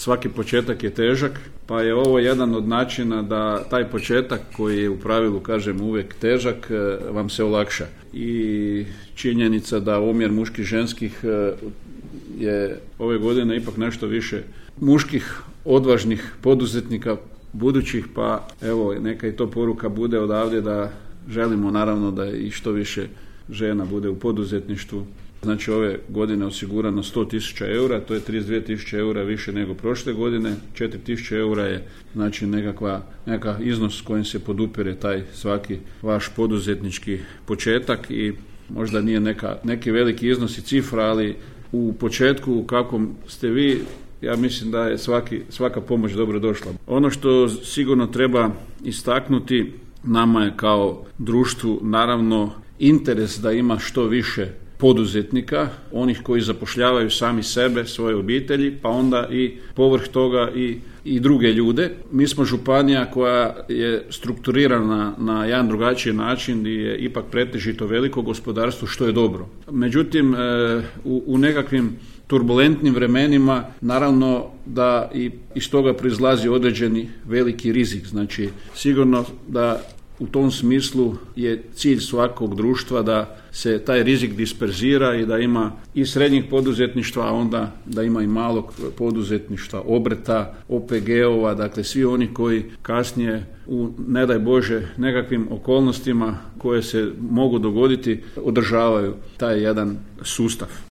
svaki početak je težak, pa je ovo jedan od načina da taj početak koji je u pravilu, kažem, uvijek težak, vam se olakša. I činjenica da omjer muških ženskih je ove godine ipak nešto više muških, odvažnih poduzetnika budućih, pa evo, neka i to poruka bude odavde da želimo naravno da i što više žena bude u poduzetništvu. Znači ove godine osigurano 100.000 eura, to je 32.000 eura više nego prošle godine, 4.000 eura je znači nekakav iznos s kojim se podupire taj svaki vaš poduzetnički početak i možda nije neki veliki iznos i cifra, ali u početku u kakvom ste vi, ja mislim da je svaka pomoć dobro došla. Ono što sigurno treba istaknuti, nama je kao društvu naravno interes da ima što više poduzetnika, onih koji zapošljavaju sami sebe, svoje obitelji, pa onda i povrh toga i druge ljude. Mi smo županija koja je strukturirana na jedan drugačiji način gdje je ipak pretežito veliko gospodarstvo, što je dobro. Međutim, u nekakvim turbulentnim vremenima naravno da i iz toga proizlazi određeni veliki rizik. Znači sigurno da u tom smislu je cilj svakog društva da se taj rizik disperzira i da ima i srednjih poduzetništva, a onda da ima i malog poduzetništva, obrta, OPG-ova, dakle svi oni koji kasnije u, ne daj Bože, nekakvim okolnostima koje se mogu dogoditi, održavaju taj jedan sustav.